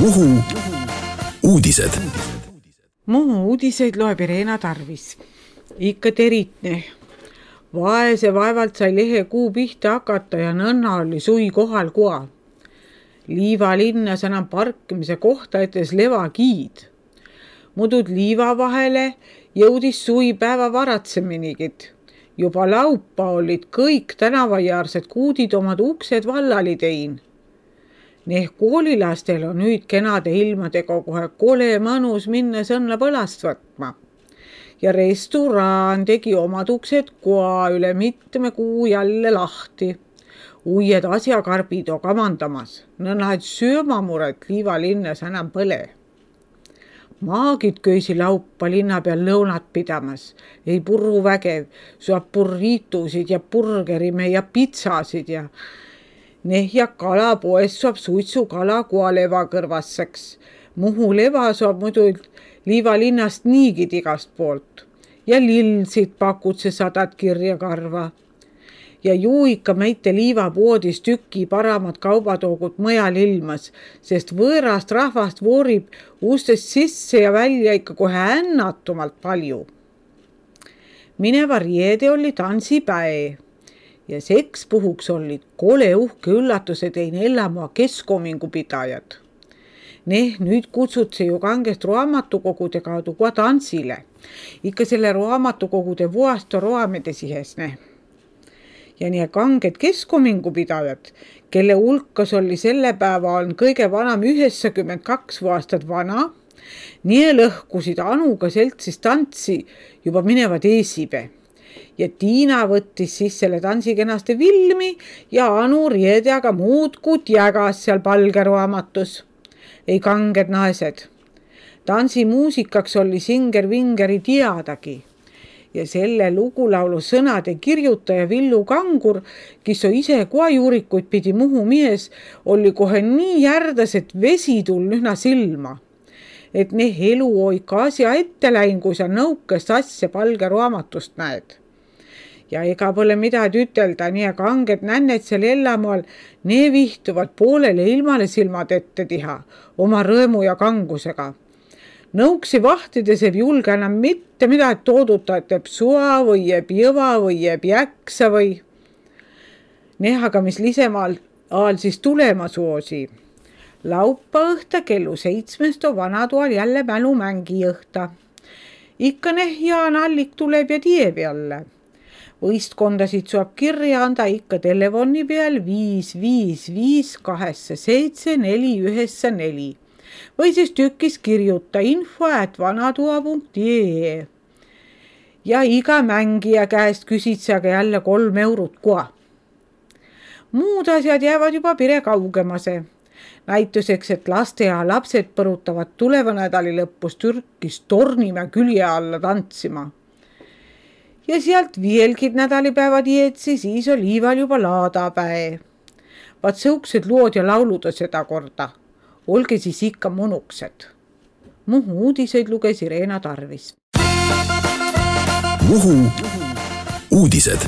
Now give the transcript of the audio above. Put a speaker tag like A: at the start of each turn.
A: Muhu uudised.
B: Muhu uudiseid loeb Irena Tarvis. Ikka teritne. Vaese vaevalt sai lehe kuu pihta hakata ja nõnna oli sui kohal koa. Liiva linnas enam parkimise kohta etes levakiid. Mudud liiva vahele jõudis sui päeva varatseminigid. Juba laupa olid kõik tänavajaarsed kuudid omad uksed vallali tein. Neeh koolilastel on nüüd kenade ilmadega kohe kole mõnus minna sõnna põlast võtma. Ja restoraan tegi omad uksed koa üle mitme kuu jälle lahti. Uued asjakarbid on kamandamas. Nõnna et söömamuret liiva linnas enam põle. Maagid köisi laupa linna peal lõunat pidamas. Ei purru vägev, saab burritusid ja burgerime ja pitsasid ja ja kalapoes saab suitsu kala koaleva kõrvasseks. Muhu leva saab muidu liiva linnast niigid igast poolt. Ja lillsid pakud see 100 kirja karva. Ja ikka meite liivapoodis tüki paramad kaubatoogud mõjal ilmas, sest võõrast rahvast voorib ustest sisse ja välja ikka kohe ännatumalt palju. Mineva riede oli tansipäe. Ja seks puhuks olid kole uhke üllatuse teine Ellamaa keskomingu pidajad. Nüüd kutsutse ju kangest raamatukogude kaudu kohe tansile. Ikka selle raamatukogude vuasto roamede sihes. Ja nii kanged keskomingu pidajad, kelle hulkas oli selle päeva on kõige vanam 92 aastat vana, nii lõhkusid Anuga seltsis tantsi juba minevad eesibe. Ja Tiina võttis siis selle tansi kenaste filmi ja Anu riedjaga muudkud jägas seal palgeruamatus. Ei kanged naised. Tansi muusikaks oli Singer Vingeri teadagi. Ja selle lugulaulu sõnade kirjutaja Villu Kangur, kes on ise koajuurikuid pidi Muhu mies, oli kohe nii järdas, et vesi tull ühna silma. Et elu oika asja ette läin, kui sa nõukest asja palgeraamatust näed. Ja ega pole midagi ütelda, nii kanged nänned seal Ellamaal, vihtuvad poolele ilmale silmad ette tiha, oma rõõmu ja kangusega. Nõuksi vahtides ei julge enam mitte midagi tooduta, et teeb sua või jääb jõva või jääb jäksa või. Aga mis lisemaal siis tulema soosi. Laupa õhta kellu 7 on vanatoal jälle mälumängi õhta. Ikka Jaan Allik tuleb ja tieb jälle. Võistkondasid saab kirja anda ikka telefoni peal 555 87 494 või siis tükis kirjuta info@vanatoa.ee. Ja iga mängija käest küsid sa jälle 3 eurot koa. Muud asjad jäävad juba pire kaugemase. Näituseks, et lasteaia lapsed põrutavad tuleva nädali lõpus Türkis Tornimäe külje alla tantsima. Ja sealt vielgid nädalipäevad jeetsi, siis on liival juba laadapäe. Vaat sõuksed lood ja lauluda seda korda. Olge siis ikka monuksed. Muhu uudiseid luges Irena Tarvis.
A: Muhu uudised.